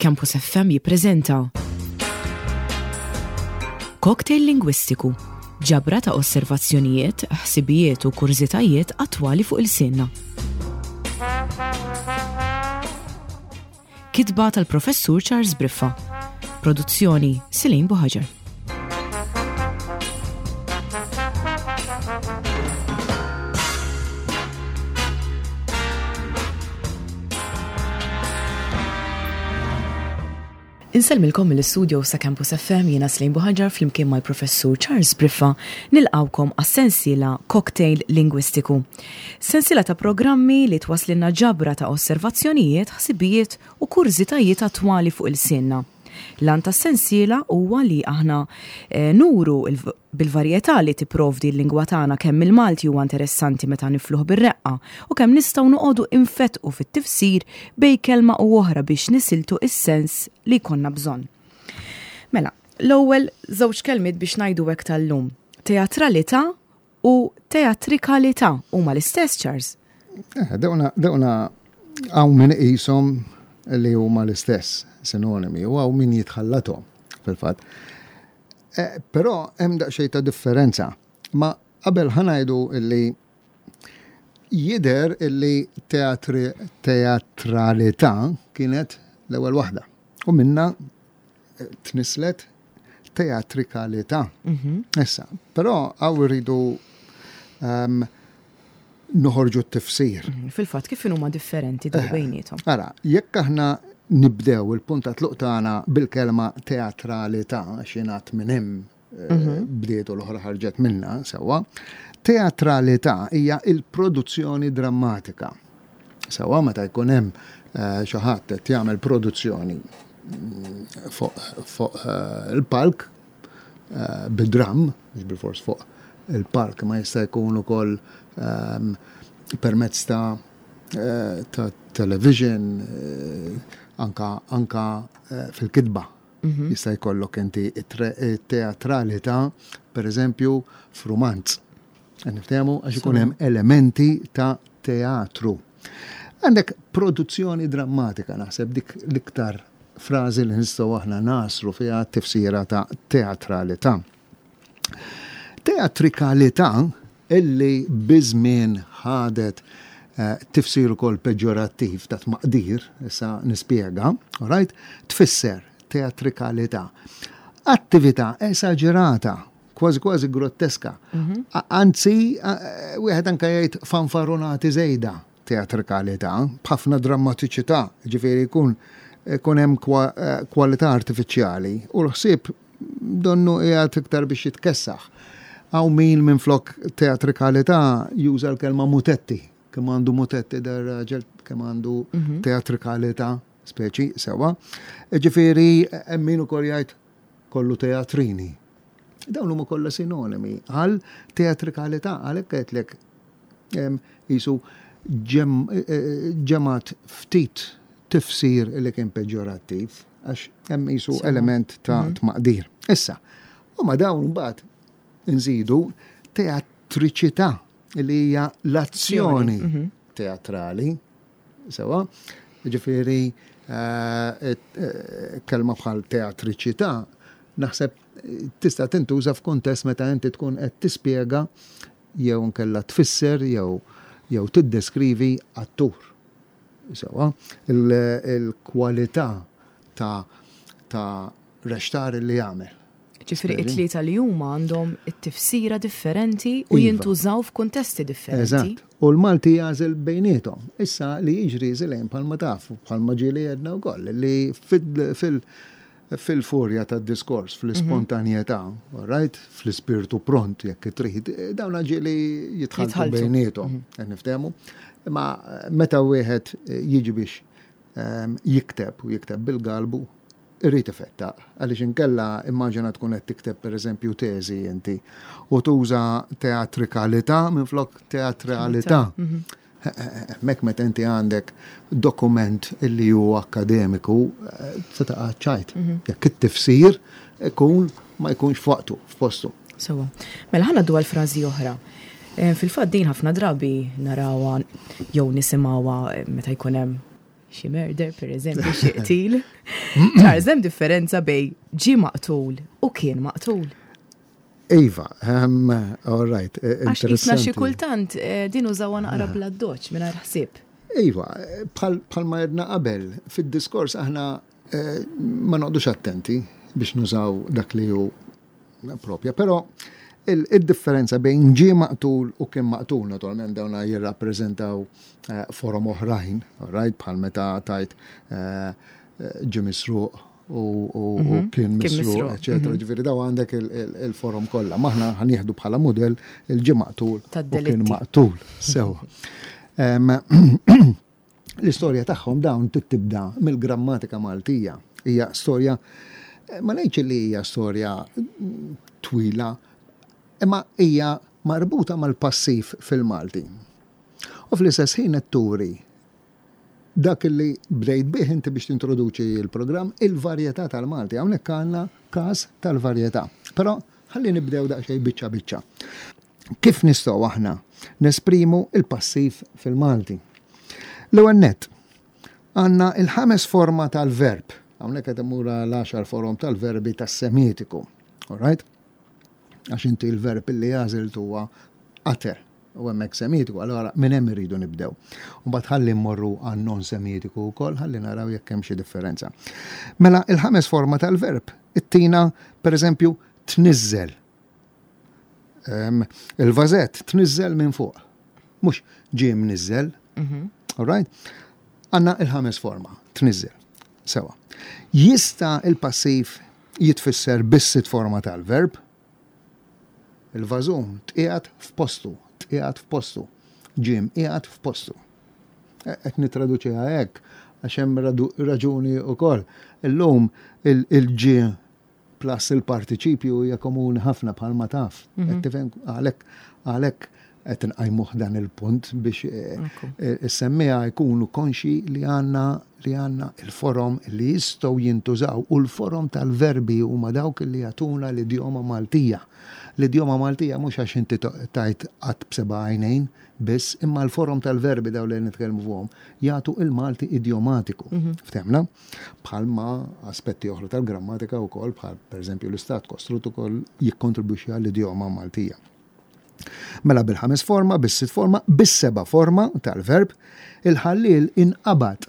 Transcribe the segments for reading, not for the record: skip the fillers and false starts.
Campus FM jippreżenta Cocktail Lingwistiku, ġabra ta' osservazzjonijiet, ħsibijiet u kurżitajiet attwali fuq ilsienna. Kitba tal-Professur Charles Briffa. Produzzjoni Silin Buħaġar. Insellmilkom mill-istudio sa Campus FM jiena Slejn Buħaġar flimkien mal-Professur Charles Briffa nilqawkom għas-sensiela Cocktail Lingwistiku. Sensiela ta' programmi li twaslinna ġabra ta' osservazzjonijiet, ħsibijiet u kurżitajiet attwali fuq ilsienna. L-għan tas-sensiela huwa li aħna eh, nuru bil-varjetà li tipprovdi l-lingwa tagħna kemm il-Malti huwa interessanti meta nifluh bir-reqqa u kemm nistgħu noqogħdu infetqu fit-tifsir bejn kelma u oħra biex nisiltu is-sens li jkollna bżonn. Mela, l-ewwel żewġ kelmiet biex ngħidu hekk tal-lum. Teatralità u teatrikalità huma l-istess, Charles? Eh, dawna dawna hawn min iqishom li huma l-istess sinonimi u hawn min jitħallathom fil-fatt. Eh, però hemm daqsxejn ta' differenza. Ma qabel ħanajdu illi jider illi teatri, teatralità kienet l-ewwel waħda. U minna eh, tnislet teatrikalità. Mhm. Issa, però għaw rridu um, noħorġu t-tifsir. Mhm, fil-fatt kif huma differenti daw eh, bejniethom. Ara, jekk aħna nibdew il-punt ta' tluq tagħna bil-kelma teatralità x'ingħad minn hemm eh, mhm. bdiet u l-oħra ħarġet minna sewwa. Teatralità hija il-produzzjoni drammatika. Sewwa meta jkun hemm eh, xi ħadd qed jagħmel produzzjoni mm, fuq il-palk bid-dramm, mhux bilfors fuq il-palk, ma jista' jkun ukoll ehm, permezz ta' eh, ta' television, eh, anka, anka eh, fil-kitba. Mhm. Jista' jkollok inti teatralità, per eżempju, f'rumanz. Niftehmu għax ikun hemm elementi ta' teatru. Għandek produzzjoni drammatika naħseb dik l-iktar frażi li nistgħu aħna naslu fiha tifsira ta' teatralità. Teatrikalità illi biż-żmien ħadet eh, tifsir ukoll peġġorattiv ta' tmaqdir, issa nispjega, right? Tfisser teatrikalità. Attività esaġerata kważi kważi grotteska. Mhm. Anzi, wieħed anke jgħid fanfarunati żejda teatrikalità, b'ħafna drammatiċità, ġifieri jkun ikun hemm eh, kwalità artifiċjali u l-ħsieb donnu qiegħed iktar biex jitkessaħ. Hawn min minflok teatrikalità juża l-kelma mutetti, kemm għandu mutetti dar raġel, kemm għandu mhm. teatrikalità speċi sewa. Ġifieri hemm min ukoll jgħid kollu teatrini. Dawn huma kollha sinonimi għal teatrikalità għalhekk għedtlek qisu ġemgħat ftit tifsir li kien peġġorattiv għax hemm qisu element ta' mhm. tmaqdir. Issa, u ma dawn mbagħad nżidu teatriċità li hija l-azzjoni mhm. teatrali Sewa, ġifieri eh, eh, kelma bħal teatriċità naħseb tista' tintuża f'kuntest meta inti tkun qed tispjega jew nkella tfisser jew jew tiddeskrivi attur. Sewa, il-kwalità ta' ta' rextar li jagħmel. Ġifieri it-tlieta li huma għandhom it-tifsira differenti u iva. jintużaw f'kuntesti differenti. Eżatt. U l-Malti jagħżel bejniethom. Issa li jiġri żilejn bħalma taf, bħalma ġieli għedna wkoll, li fil-furja tad-diskors, fl-ispontanjetà, mhm. right, fl-ispirtu pront jekk trid, dawn ġieli jitħaltu bejniethom, mhm. qed niftehmu. Imma meta wieħed jiġi biex ehm, jikteb u jikteb bil-galbu, irid ifettaq, għaliex inkella immaġina tkun qed tikteb pereżempju teżi inti u tuża teatrikalità minflok teatralità. Mhm. Hemmhekk meta inti għandek dokument illi hu akkademiku eh, se taqa' ċajt. Mhm. Jekk it-tifsir ikun ma jkunx f'waqtu, f'postu. Sewa. Mela ħana dwar frażi oħra. Eh, fil-fatt din ħafna drabi narawha jew nisimgħuha eh, meta jkun hemm xi murder, per eżempju, xi qtil. Charles, hemm differenza bej ġie maqtul u kien maqtul. Iva, um, all right, eh, Għax jisna xi kultant eh, din użawha naqra bla doċ mingħajr ħsieb. Iva, bħal ma jedna qabel, fid-diskors aħna eh, ma noqdux attenti biex nużaw dak li hu propja, però il-differenza bejn ġie maqtul u kien maqtul, naturalment dawna jirrappreżentaw forom oħrajn, right, bħal meta tajt ġie misruq u mhm. kien misruq, eccetera. Mhm. Ġifieri daw għandek il-forom kollha. Maħna ħanieħdu bħala mudell il-ġie maqtul u kien maqtul. Sewa. L-istorja tagħhom dawn tibda mill-grammatika Maltija. Hija storja ma ngħidx li hija storja twila, imma hija marbuta mal-passiv fil-Malti. U fl-istess ħin qed turi Dak li bdejt bih inti biex tintroduċi l-programm, il-varjetà tal-Malti. Hawnhekk għandna każ tal-varjetà. Però ħalli nibdew daqsxejn biċċa biċċa. Kif nistgħu aħna nesprimu il-passiv fil-Malti? L-ewwel nett, għandna il-ħames forma tal-verb. Hawnhekk qed immur l-għaxar forom tal-verbi tas-Semitiku. All right? Għax inti l-verb li għażilt huwa utter u hemmhekk semitiku, allura minn hemm irridu nibdew. U mbagħad ħalli mmorru għan non semitiku wkoll ħalli naraw jekk hemm xi differenza. Mela il-ħames forma tal-verb ittina pereżempju tniżżel. Il-vażett tniżżel minn fuq. Mhux ġie mniżżel. Mhm. All right? Għandna il-ħames forma, tniżżel. Sewa. Jista' il-passiv jitfisser bis-sitt forma tal-verb. Il-vażun tqiegħed f'postu, tqiegħed f'postu, ġie mqiegħed f'postu. E, qed nittraduċiha hekk għax hemm raġuni wkoll. Illum il-ġie plus il-partiċipju hija komuni ħafna bħalma taf. Mhm. Tifhem għalhekk għalhekk qed nqajmuh dan il-punt biex eh, eh, is-semmiegħa jkunu konxi li għandna li għandna il-forom li jistgħu jintużaw u l-forom tal-verbi huma dawk li jagħtuna l-idjoma Maltija. L-idjoma Maltija mhux għax inti tajt qatt b'seba' għajnejn biss, imma l-forom tal-verbi daw li nitkellmu fuqhom jagħtu il-Malti idjomatiku. Mhm. Ftehmna? Bħalma aspetti oħra tal-grammatika wkoll bħal pereżempju l-istat kostrut ukoll jikkontribwixxi għall-idjoma Maltija. Mela bil-ħames forma, bis-sitt forma, bis-seba' forma tal-verb, il-ħalliel inqabad.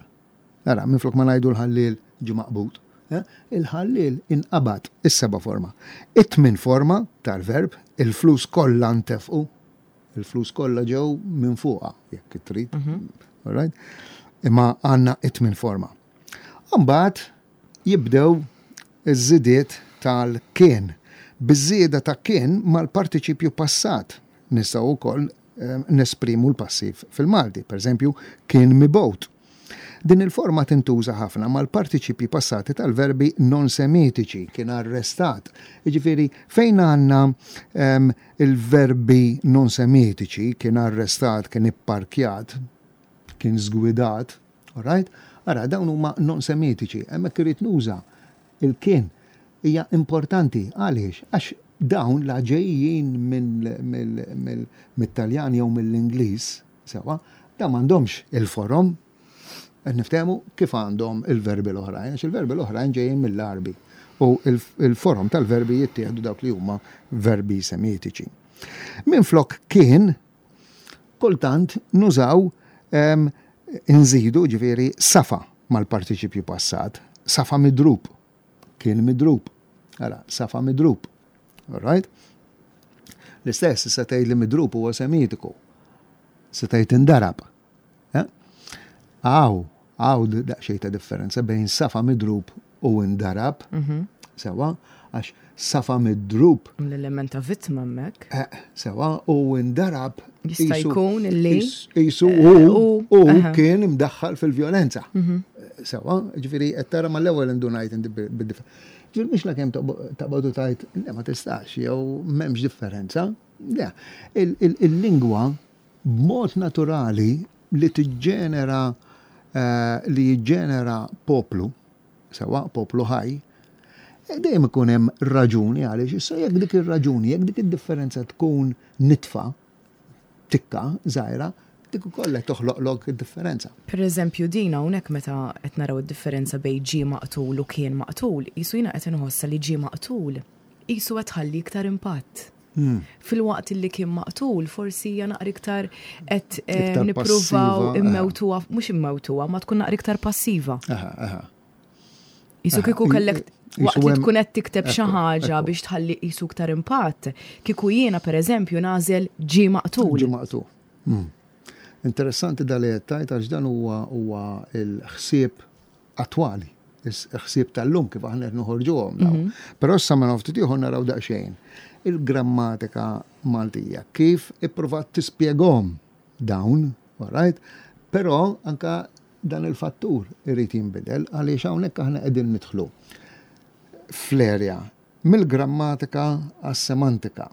Ara, minflok ma ngħidu l-ħalliel ġie maqbud. Eh? Il-ħalliel inqabad, is-seba' forma. It-tmien forma tal-verb, il-flus kollha ntefqu, il-flus kollha ġew minn fuqha, jekk trid. Mhm. All right? Imma għandna it-tmien forma. Mbagħad jibdew iż-żidiet tal-kien. Biż-żieda ta' kien mal-partiċipju passat nistgħu wkoll nesprimu l-passiv fil-Malti. Pereżempju, kien mibgħut. Din il-forma tintuża ħafna mal-partiċipji passati tal-verbi non-Semitiċi, kien arrestat. Jiġifieri fejn għandna il-verbi non-Semitiċi, kien arrestat, kien ipparkjat, kien żgwidat, All right? Ara, dawn huma non-Semitiċi. Hemmhekk irrid nuża il-kien. Hija importanti. Għaliex? Għax dawn la ġejjin mit-Taljan jew mill-Ingliż, sewa, dawn m'għandhomx il-forom. Qed niftehmu kif għandhom il-verbi l-oħrajn, għax il-verbi l-oħrajn ġejjin mill-Għarbi u il-forom tal-verbi jittieħdu dawk li huma verbi semitiċi. Minflok kien Kultant nużaw inżidu ġifieri safa mal-partiċipju passat. Safa midrub. Kien midrub. Ara, safa midrub. All right? L-istess, se tgħid li midrub huwa semitiku. Se tgħid indarab. Għaw, għaw daqsxejn ta' differenza bejn safa midrub u indarab. Mhm. Sewa, għax safa midrub. L-element ta' vittma hemmhekk. Eh, sewa, u indarab. Jista' jkun li. Jisu eh, u kien imdaħħal fil-vjolenza. Mhm. Sewa, ġifieri qed tara mal-ewwel indunajt inti bid-differenza. Ġifieri mhux lakemm taqbadu tajt, le ma tistax, jew m'hemmx differenza. Le, il-lingwa b'mod naturali li tiġġenera li jiġġenera poplu, sewwa poplu ħaj, dejjem ikun hemm raġuni għaliex issa jekk dik ir-raġuni, jekk dik id-differenza tkun nitfa, tikka żgħira, Dik ukoll qed toħloqlok id-differenza. Per eżempju din hawnhekk meta qed naraw id-differenza bejn ġie maqtul u kien maqtul, qisu jiena qed inħossha li ġie maqtul qisu qed tħalli iktar impatt. Filwaqt li kien maqtul forsi hija naqra iktar qed eh, nippruvaw immewtuha, mhux immewtuha, ma tkun naqra iktar passiva. Jisu kieku kellek waqt li tkun qed tikteb xi ħaġa biex tħalli qisu iktar impatt, kieku jiena pereżempju nagħżel ġie maqtul. Ġie maqtul. Hmm. Interessanti dal li qed tgħid għax dan huwa huwa l-ħsieb attwali, il-ħsieb tal-lum kif aħna qed noħorġuhom dawn. Mhm. Però issa minn ftit ieħor naraw daqsxejn il-grammatika Maltija kif ippruvat tispjegahom dawn, all right? Però anka dan il-fattur irid jinbidel għaliex hawnhekk aħna qegħdin nidħlu fl-erja mill-grammatika għas-semantika.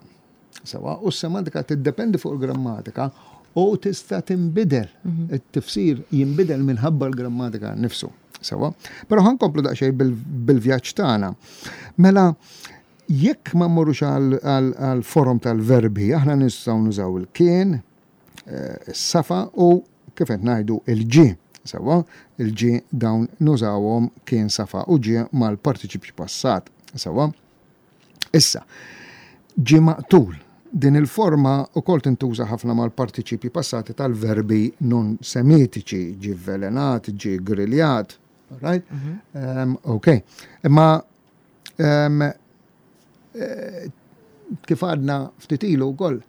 Sewa, u s-semantika tiddependi fuq il-grammatika u tista' tinbidel. Mhm. It-tifsir jinbidel minħabba l-grammatika nifsu. Sewa, però ħankomplu daqsxejn bil-vjaġġ tagħna. Mela, jekk ma mmorrux għal forom tal-verbi, aħna nistgħu nużaw il-kien, eh, is-safa u kif qed ngħidu il-ġie. Sewwa, il-ġie dawn nużawhom kien safa u ġie mal-partiċipju passat. Sewwa. Issa, ġie maqtul. Din il-forma wkoll tintuża ħafna mal-partiċipji passati tal-verbi non semitiċi, ġie vvelenat, ġie griljat, right? Mm -hmm. um, ok. Imma um, kif għadna ftit ilu wkoll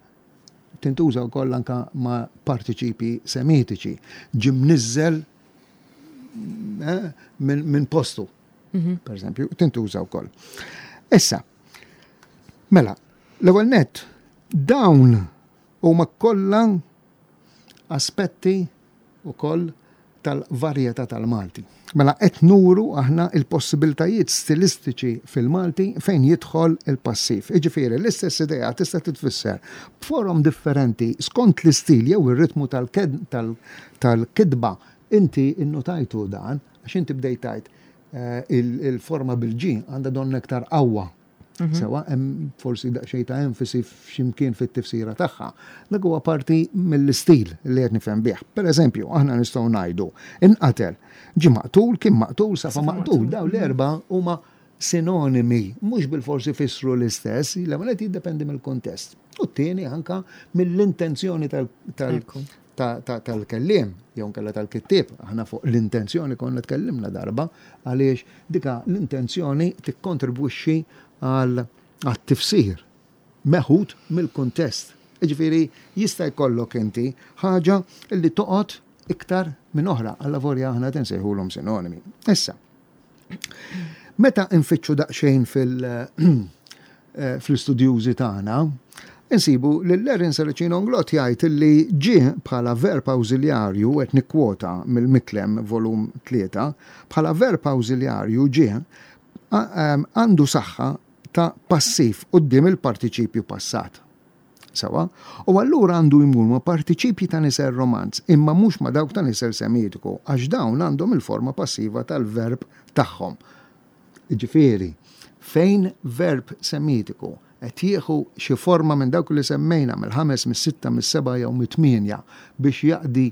tintuża wkoll anka ma' partiċipji semitiċi. Ġie mniżżel eh, minn postu, mhm. per eżempju, tintuża wkoll. Issa, mela, l-ewwel nett, dawn huma kollha aspetti ukoll tal-varjetà tal-Malti. Mela qed nuru aħna il-possibiltajiet stilistiċi fil-Malti fejn jidħol il-passiv. Jiġifieri l-istess idea tista' titfisser b'forom differenti skont l-istil jew ir-ritmu tal-kitba. Inti innotajtu dan għax inti bdejt tgħid eh, il-forma bil-G għandha donnha iktar qawwa Mhm. Sewa, hemm forsi daqsxejn ta' enfasi f'ximkien fit-tifsira tagħha. Dak huwa parti mill-istil li qed nifhem bih. Per eżempju, aħna nistgħu ngħidu inqatel, ġie maqtul, kien maqtul, safa maqtul. Dawn l-erba' huma sinonimi, mhux bil-forsi fissru l-istess, l-ewwel qed jiddependi mill-kuntest. U t-tieni anka mill-intenzjoni tal-kelliem jew nkella tal-kittieb. Aħna fuq l-intenzjoni konna tkellimna darba għaliex dika l-intenzjoni tikkontribwixxi għal għat-tifsir meħud mill-kuntest. Jiġifieri jista' jkollok inti ħaġa li toqgħod iktar minn oħra, allavolja aħna qed insejħulhom sinonimi. Issa, meta nfittxu daqsxejn fil- eh, fl-istudjużi tagħna, insibu li Lerin Saracino Englot jgħid li ġie bħala verb awżiljarju, qed nikkwota mill-Miklem volum 3, bħala verb awżiljarju ġie għandu saħħa ta' passiv quddiem il-partiċipju passat. Sewa? U allura għandu jmur ma' partiċipji ta' nisel Romanz, imma mhux ma' dawk ta' nisel Semitiku, għax dawn għandhom il-forma passiva tal-verb tagħhom. Jiġifieri, fejn verb Semitiku qed jieħu xi forma minn dawk li semmejna, mill-ħames, mis-sitta, mis-seba' jew mit-tmienja, biex jaqdi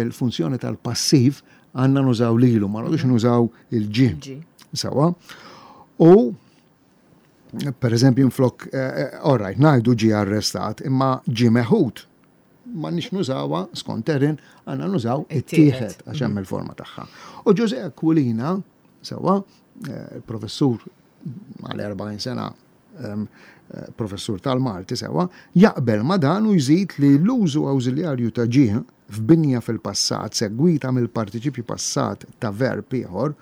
l-funzjoni tal-passiv, għandna nużaw lilu, ma noqogħdux nużaw il-ġie. Sewwa? U per eżempju, minflok, eh, eh, all right, ngħidu ġie arrestat, imma ġie meħud. Ma nix nużawha skont Erin, għandna nużaw ittieħed għax hemm il-forma tagħha. U Ġużè Aquilina, sewwa, eh, il-professur għal 40 sena ehm, professur tal-Malti sewwa, jaqbel ma dan u jżid li l-użu awżiljarju ta' ġie f'binja fil-passat segwita mill-partiċipju passat ta' verb ieħor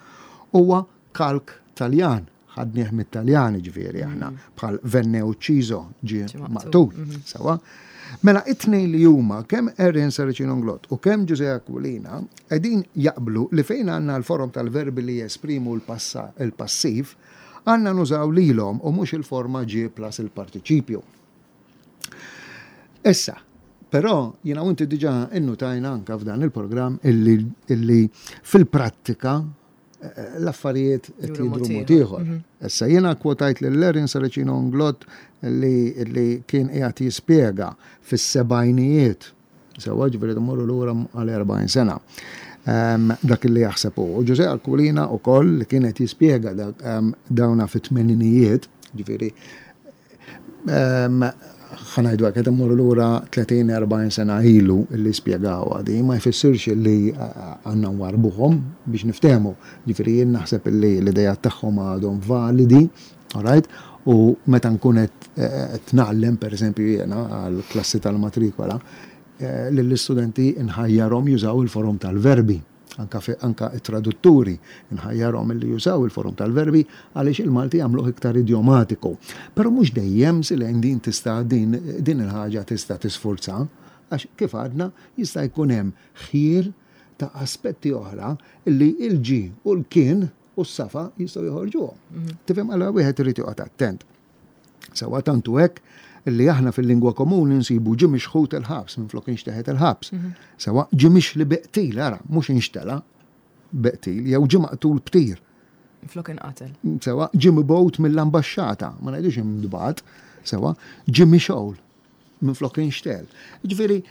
huwa Kalk Taljan, ħadnieh mit-Taljan jiġifieri aħna, mm. bħal venne ucciso ġie maqtul. Mhm. Sewa. Mela it-tnejn li huma kemm Erin Saracino Nglott u kemm Ġużè Aquilina qegħdin jaqblu li fejn għandna l-forom tal-verbi li jesprimu l-passiv, għandna nużaw lilhom u mhux il-forma ġie plus il-partiċipju. Issa, però jiena u inti diġà innutajna anka f'dan il-programm illi fil-prattika l-affarijiet qed jidhru mod ieħor. Mhm. Issa jiena kwotajt lil Erin Saracino Englot li, li kien qiegħed jispjega fis-sebgħinijiet. Sewwa ġifieri mmorru lura għal 40 sena. Dak li jaħseb hu. U Ġużè Aquilina wkoll li kien qed jispjega dawna fit-tmeninijiet, ġifieri ħa ngħidu hekk qed immorru lura 30-40 sena ilu li spjegawha di, ma jfissirx li għandna nwarrbuhom biex niftehmu. Ġifieri jien naħseb li l-ideat tagħhom għadhom validi, all right? U meta nkun qed ngħallem pereżempju jiena għall-klassi tal-matrikola, lill-istudenti nħajjarhom jużaw il-forom tal-verbi. Anka anka t-tradutturi nħajjarhom illi jużaw il-forom tal-verbi għaliex il-Malti jagħmluh iktar idjomatiku. Però mhux dejjem Silene din tista' din din il-ħaġa tista' tisfurza għax kif għadna jista' jkun hemm ħjiel ta' aspetti oħra li l-ġie u l-kien u s-safa jistgħu joħorġuhom. Mhm. Tifhem allura wieħed irid joqgħod attent. Sewwa tant hu hekk li aħna fil-lingwa komuni nsibu ġie mixħut il-ħabs minflok inxteħet il-ħabs. Mhm. Sewwa ġie mixli bi qtil, ara, mhux inxtela bi qtil, jew ġie maqtul b'tir. Minflok inqatel. Sewwa ġie mibgħut mill-ambaxxata, ma ngħidux imdbat, sewwa ġie mixgħul minflok inxtel. Ġifieri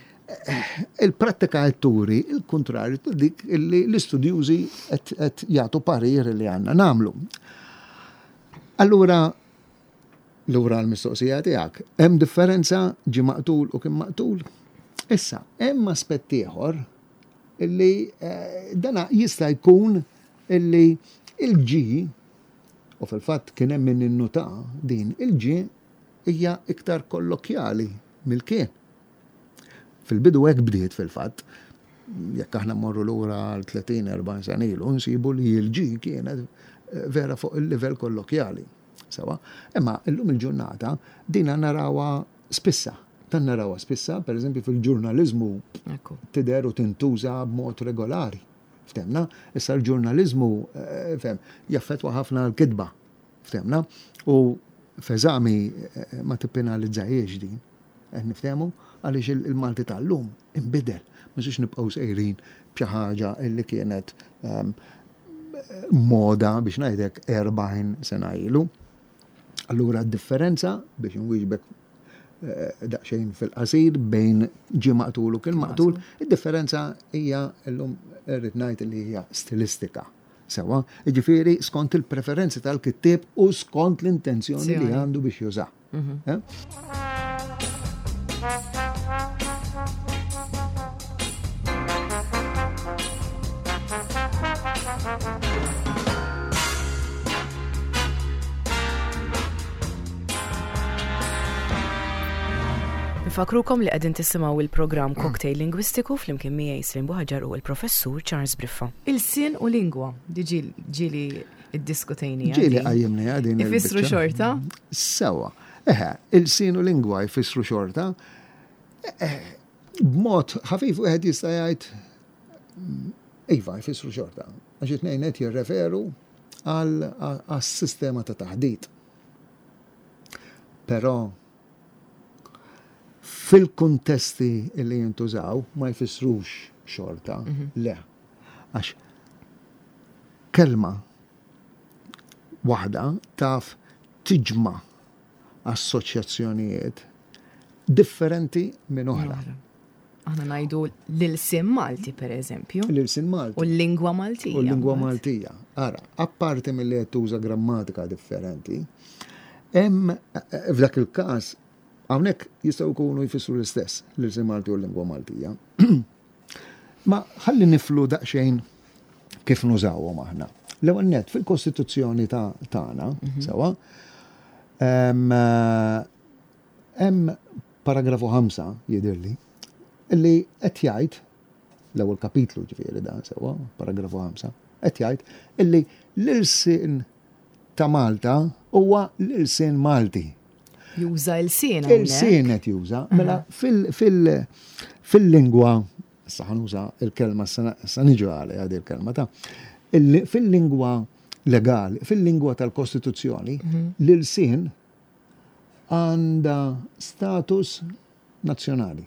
il-prattika qed turi il-kuntrarju ta' dik li l-istudjużi qed jagħtu parir li għandna nagħmlu. Allura, lura l-mistoqsija tiegħek, hemm differenza ġie maqtul u kien maqtul? Issa, hemm aspett ieħor illi eh, dana jista' jkun illi il-ġi u fil-fatt kien hemm min innuta din il-ġi hija iktar kollokjali mill-kien. Fil-bidu hekk bdiet fil-fatt. Jekk aħna mmorru lura għal 30-40 sena ilu, nsibu li l-G kienet eh, vera fuq il-livell kollokjali. Sewa, imma illum il-ġurnata dina narawha spissa. Dan narawha spissa, per eżempju fil-ġurnaliżmu tidher u tintuża b'mod regolari. Ftemna, issa l-ġurnaliżmu eh, fem, jaffetwa ħafna l-kitba. Ftehmna? U f'eżami ma tippenalizzahiex din. Qed niftehmu? Għaliex il-Malti tal-lum inbidel. Ma nistgħux nibqgħu sejrin b'xi ħaġa li kienet ehm, moda biex ngħidlek 40 sena ilu. Allura d-differenza biex inwieġbek eh, daqsxejn fil-qasir bejn ġie maqtul u kien maqtul, id-differenza hija llum irrid ngħid li hija stilistika. Sewwa, jiġifieri skont il-preferenzi tal-kittieb u skont l-intenzjoni li għandu biex juża. Mhm. Eh? Nfakrukom li qegħdin tisimgħu il-programm Cocktail Lingwistiku flimkien miegħi Slim Buħaġar u l-Professur Charles Briffa. Ilsien u lingwa, di ġieli iddiskutejniha. Ġieli qajjimniha din. Ifissru xorta? Sewa. Eħe, ilsien u lingwa jfissru xorta. B'mod ħafif wieħed jista' jgħid iva jfissru xorta. Għax it-tnejn qed jirreferu għas-sistema ta' taħdit. Però Fil-kuntesti li jintużaw ma jfissrux xorta, mhm. le. Għax kelma waħda taf tiġma assoċjazzjonijiet differenti minn oħra. Aħna ngħidu l-ilsien Malti per eżempju. L-ilsien Malti. U l-lingwa Maltija. U l-lingwa Maltija. Ara, apparti mill-li qed tuża grammatika differenti, hemm eh, f'dak il-każ hawnhekk jistgħu jkunu jfissru l-istess l-ilsien Malti u l-lingwa Maltija. Ma ħalli niflu daqsxejn kif nużawhom aħna. L-ewwel nett fil-Kostituzzjoni tagħna, mhm. sewa, eh, hemm Paragrafu 5, jidhirli, li qed jgħid, l-ewwel kapitlu ġifieri dan sewwa, paragrafu 5, qed jgħid illi l-ilsien ta' Malta huwa l-ilsien Malti. Juża ilsien. Ilsien qed juża. Mela fil-lingwa, issa ħanuża il-kelma sa niġu għalha għadi il-kelma ta' fil-lingwa legali, fil-lingwa tal-Kostituzzjoni, mhm. l-ilsien għandha status nazzjonali.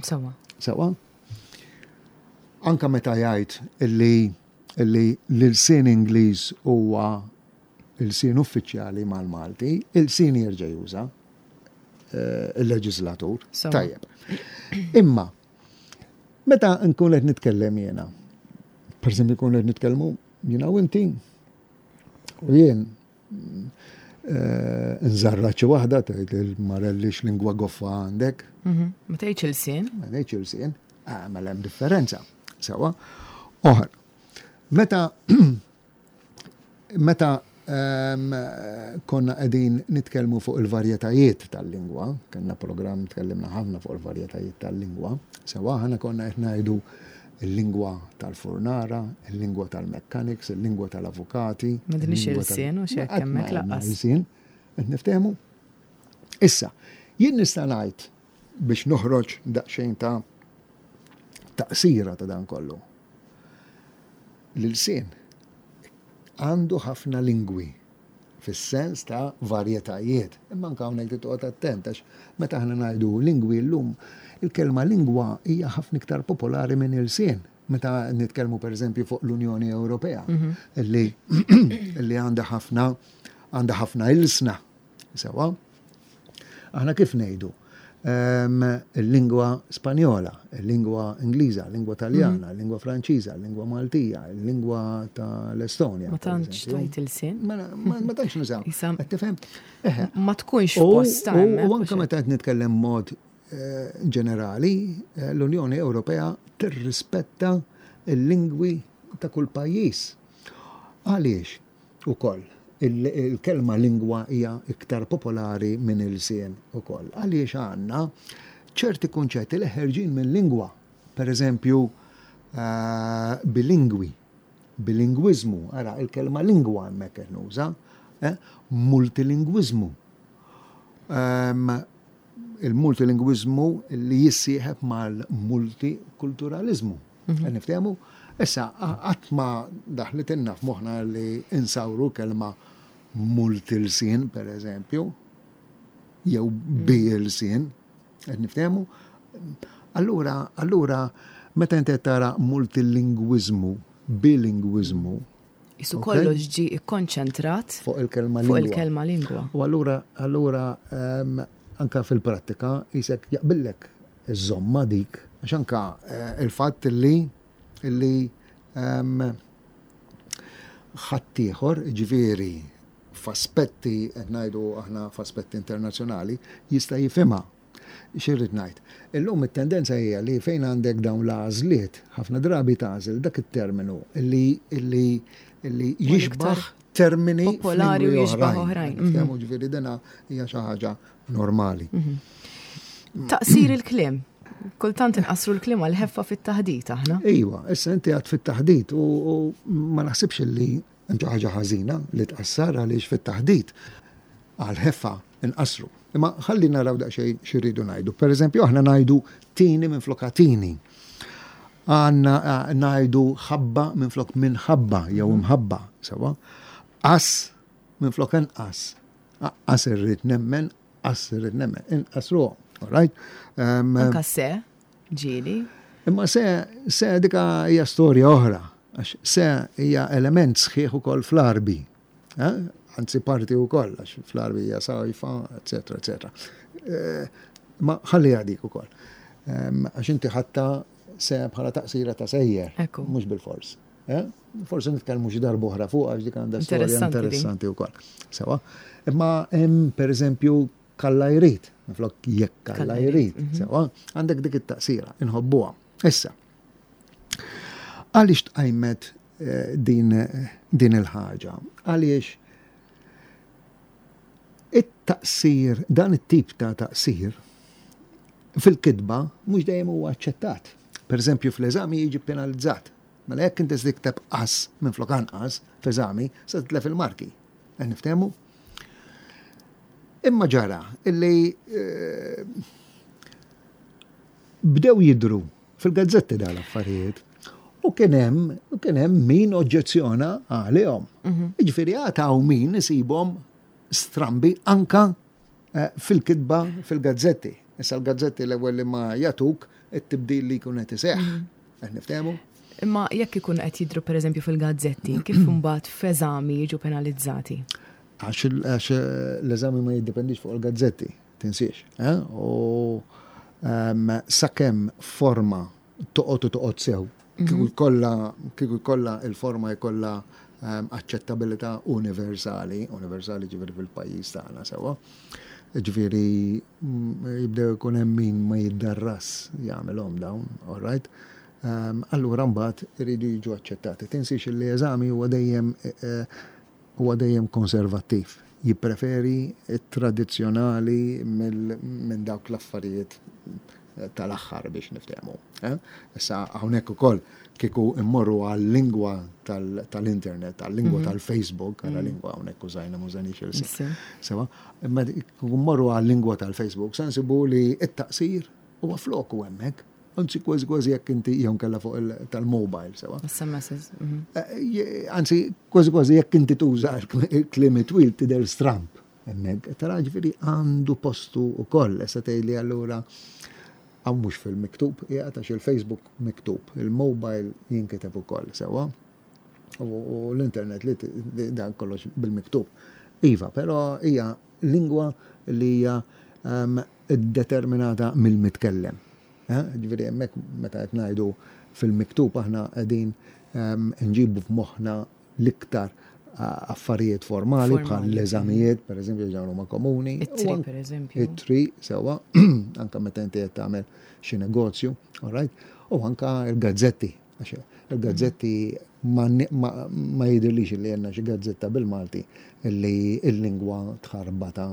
Sewa. Sewa. Anka meta jgħid illi illi l-ilsien Ingliż huwa ilsien uffiċjali mal-Malti, ilsien jerġa' juża eh, il-leġislatur. Tajjeb. Imma. Meta nkun qed nitkellem jiena, per eżempju nkun qed nitkellmu jiena u inti, u jien eh, nżarra xi waħda tgħid il-marelli x'lingwa goffa għandek. Mhm. Ma tgħidx ilsien. Ma tgħidx ilsien. Ah, mela hemm differenza. Sewa. Oħra. Meta Meta ehm, konna qegħdin nitkellmu fuq il-varjetajiet tal-lingwa, kellna programm tkellimna ħafna fuq il-varjetajiet tal-lingwa, sewa aħna konna qed ngħidu il-lingwa tal-furnara, il-lingwa tal-mechanics, il-lingwa tal-avukati. Ma dinix il-sien u xek hemmhekk laqas. Il-sien, qed niftehmu. Issa, jien nista' ngħid biex noħroġ daqsxejn ta' taqsira ta' dan kollu. L-ilsien għandu ħafna lingwi fis-sens ta' varjetajiet. Imma anke hawnhekk trid toqgħod attent għax meta aħna ngħidu lingwi llum, il-kelma lingwa hija ħafna iktar popolari minn ilsien. Meta nitkellmu pereżempju fuq l-Unjoni Ewropea li li għandha ħafna għandha ħafna ilsna. Sewwa? Aħna kif ngħidu? Ehm, il-lingwa Spanjola, il-lingwa Ingliża, il-lingwa Taljana, mhm. il-lingwa Franċiża, il-lingwa Maltija, il-lingwa tal-Estonja. Ma tantx tajt il-sin. Ma tantx nużaw. Tifhem? Ma tkunx posta. U anke meta qed nitkellem mod eh, ġenerali, eh, l-Unjoni Ewropea tirrispetta l-lingwi ta' kull pajjiż. Għaliex? Ukoll, il-kelma lingwa hija iktar popolari minn ilsien ukoll. Għaliex għandna ċerti kunċetti li ħerġin minn lingwa. Per eżempju, eh, bilingwi, bilingwiżmu, ara il-kelma lingwa hemmhekk qed nuża, eh, multilingwiżmu. Ehm, il-multilingwiżmu li jissieħeb mal-multikulturaliżmu. Mhm. Niftehmu? Issa, qatt ma daħlitilna f'moħħna li insawru kelma multilsien, per eżempju, jew mm. bilsien, qed niftehmu? Allura, allura, meta inti tara multilingwiżmu, bilingwiżmu, Isu kollox ġi ikkonċentrat fuq il-kelma lingwa. Fuq il-kelma lingwa. U allura, allura ehm, anka fil-prattika jisek jaqbillek iżżommha dik, għax anka eh, il-fatt li li ehm, ħaddieħor, ġifieri f'aspetti qed ngħidu aħna f'aspetti internazzjonali, jista' jifhimha. X'irrid ngħid? Illum it-tendenza hija li fejn għandek dawn l-għażliet, ħafna drabi tagħżel dak it-terminu li li li jixbaħ termini popolari u jixbaħ oħrajn. Mhm. Ġifieri dina hija xi ħaġa normali. Mhm. Taqsir il-kliem. Kultant inqasru l-kliem għal ħeffa fit-taħdit aħna. Iva, issa inti għad fit-taħdit u ma naħsibx li hemm xi ħaġa ħażina li tqassar għaliex fit-taħdit għal ħeffa inqasru. Imma ħalli naraw daqsxejn xi rridu ngħidu. Per eżempju, aħna ngħidu tini minn flok tini. Għanna eh, ngħidu ħabba minn flok minħabba jew imħabba, sewa. As minn flok inqas. Aqqas irrid nemmen, qas irrid nemmen, inqas ruhom. All right? Um, Anka se, ġieli. Imma se, se dika hija storja oħra, għax se hija element sħiħ ukoll fl-arbi. Eh? Anzi parti ukoll, għax fl-arbi hija sajfa, eccetera, eccetera. Eh, ma ħalli dik ukoll. Għax inti ħatta se bħala taqsira ta' sejjer, mhux bil-fors. Eh? Forsi nitkellmu xi darba oħra fuq għax dik għandha storja interessanti wkoll. Sewa. Imma hemm pereżempju kalla jrid, minflok jekk kalla jrid, mhm. sewa, għandek dik it-taqsira, inħobbuha. Issa, għaliex tqajmet eh, din, din il-ħaġa? Għaliex it-taqsir, dan it-tip ta' taqsir fil-kitba mhux dejjem huwa aċċettat. Per eżempju, fl-eżami jiġi penalizzat. Mela jekk inti se tikteb qas minflok anqas f'eżami, se titlef il-marki. Qed niftehmu? Imma ġara illi eh, bdew jidru fil-gazzetti dawn l-affarijiet. U kien hemm u kien hemm min oġġezzjona għalihom. Mhm. Jiġifieri għad min isibhom strambi anka eh, fil-kitba fil-gazzetti. Issa l-gazzetti l-ewwel li ma jagħtuk it-tibdil li jkun qed iseħħ. Mhm. Qed niftehmu? Imma jekk ikun qed jidru pereżempju fil-gazzetti, kif imbagħad f'eżami jiġu penalizzati? Għax eh, l-eżami ma jiddependix fuq il-gazzetti, tinsiex. Eh? U ehm, sakemm forma. toqgħod u toqgħod sew. Kieku jkollha kieku jkollha il-forma jkollha ehm, aċċettabilità universali, universali ġifieri fil-pajjiż tagħna sewwa. Ġifieri mm, jibdew ikun hemm min ma jiddarras jagħmilhom dawn, all right? Ehm, allura mbagħad iridu jiġu aċċettati. Tinsiex li eżami huwa dejjem eh, huwa dejjem konservattiv. Jippreferi t-tradizzjonali minn dawk l-affarijiet tal-aħħar biex niftehmu. Eh? Issa hawnhekk ukoll kieku immorru għal-lingwa tal-internet, għal-lingwa mhm. tal-Facebook, għal mhm. lingwa hawnhekk użajna mużanix il Sewa, imma kieku mmorru għal-lingwa tal-Facebook, se nsibu li t-taqsir huwa floku hemmhekk. Anzi, kważi kważi jekk inti jew kella fuq tal-mobile, sewa. SMSs. Mhm. Eh, anzi, kważi kważi jekk inti tuża kliem twil tidher stramp. Hemmhekk, tara ġifieri għandu postu wkoll, issa tgħidli allura hawn mhux fil-miktub, qiegħed għax il-Facebook miktub, il-mobile jinkiteb ukoll sewwa. U l-internet li dan kollox bil-miktub. Iva, però hija lingwa li hija ehm, determinata mill-mitkellem. Eh, ġifieri hemmhekk meta qed ngħidu fil-miktub aħna qegħdin ehm, nġibu f'moħħna l-iktar affarijiet formali bħal l-eżamijiet, per eżempju, ġan huma komuni. It-tri, per eżempju. It-tri, sewa, anka meta inti qed tagħmel xi negozju, all right? U anka il-gazzetti, għax il-gazzetti ma jidhirlix li għandna xi gazzetta bil-Malti li l-lingwa tħarbata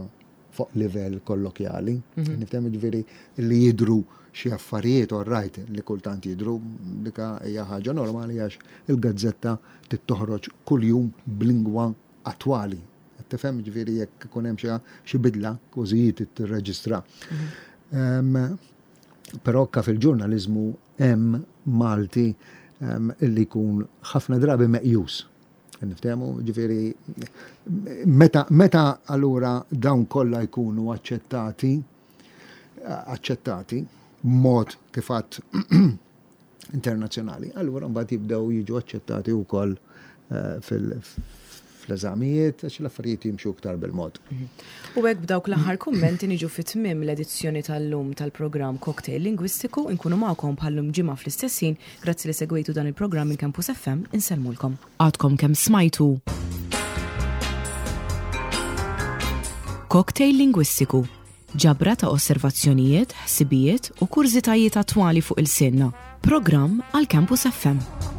fuq livell kollokjali. Mhm. Nifhem ġifieri li jidru xi affarijiet all right li kultant jidru dika hija ħaġa normali għax il-gazzetta tittoħroġ kuljum b'lingwa attwali. Tifhem ġifieri jekk ikun hemm xi bidla kważi tirreġistra. Mhm. Però ka fil-ġurnaliżmu hemm Malti illi jkun ħafna drabi meqjus. Niftehmu, ġifieri meta meta allura dawn kollha jkunu aċċettati aċċettati mod kif għadd internazzjonali, allura mbagħad jibdew jiġu aċċettati wkoll eh, fl-eżamijiet għax l-affarijiet jimxu iktar bil-mod. Mhm. U hekk b'dawk l-aħħar kummenti niġu fi tmiem l-edizzjoni tal-lum tal-programm Cocktail Lingwistiku nkunu magħkom bħallum ġimgħa fl-istess ħin Grazzi li segwejtu dan il-programm minn Campus FM, insellmulkom. Għadkom kemm smajtu Cocktail Lingwistiku, ġabra ta' osservazzjonijiet, ħsibijiet u kurżitajiet attwali fuq il-sinna. Programm għal Campus FM.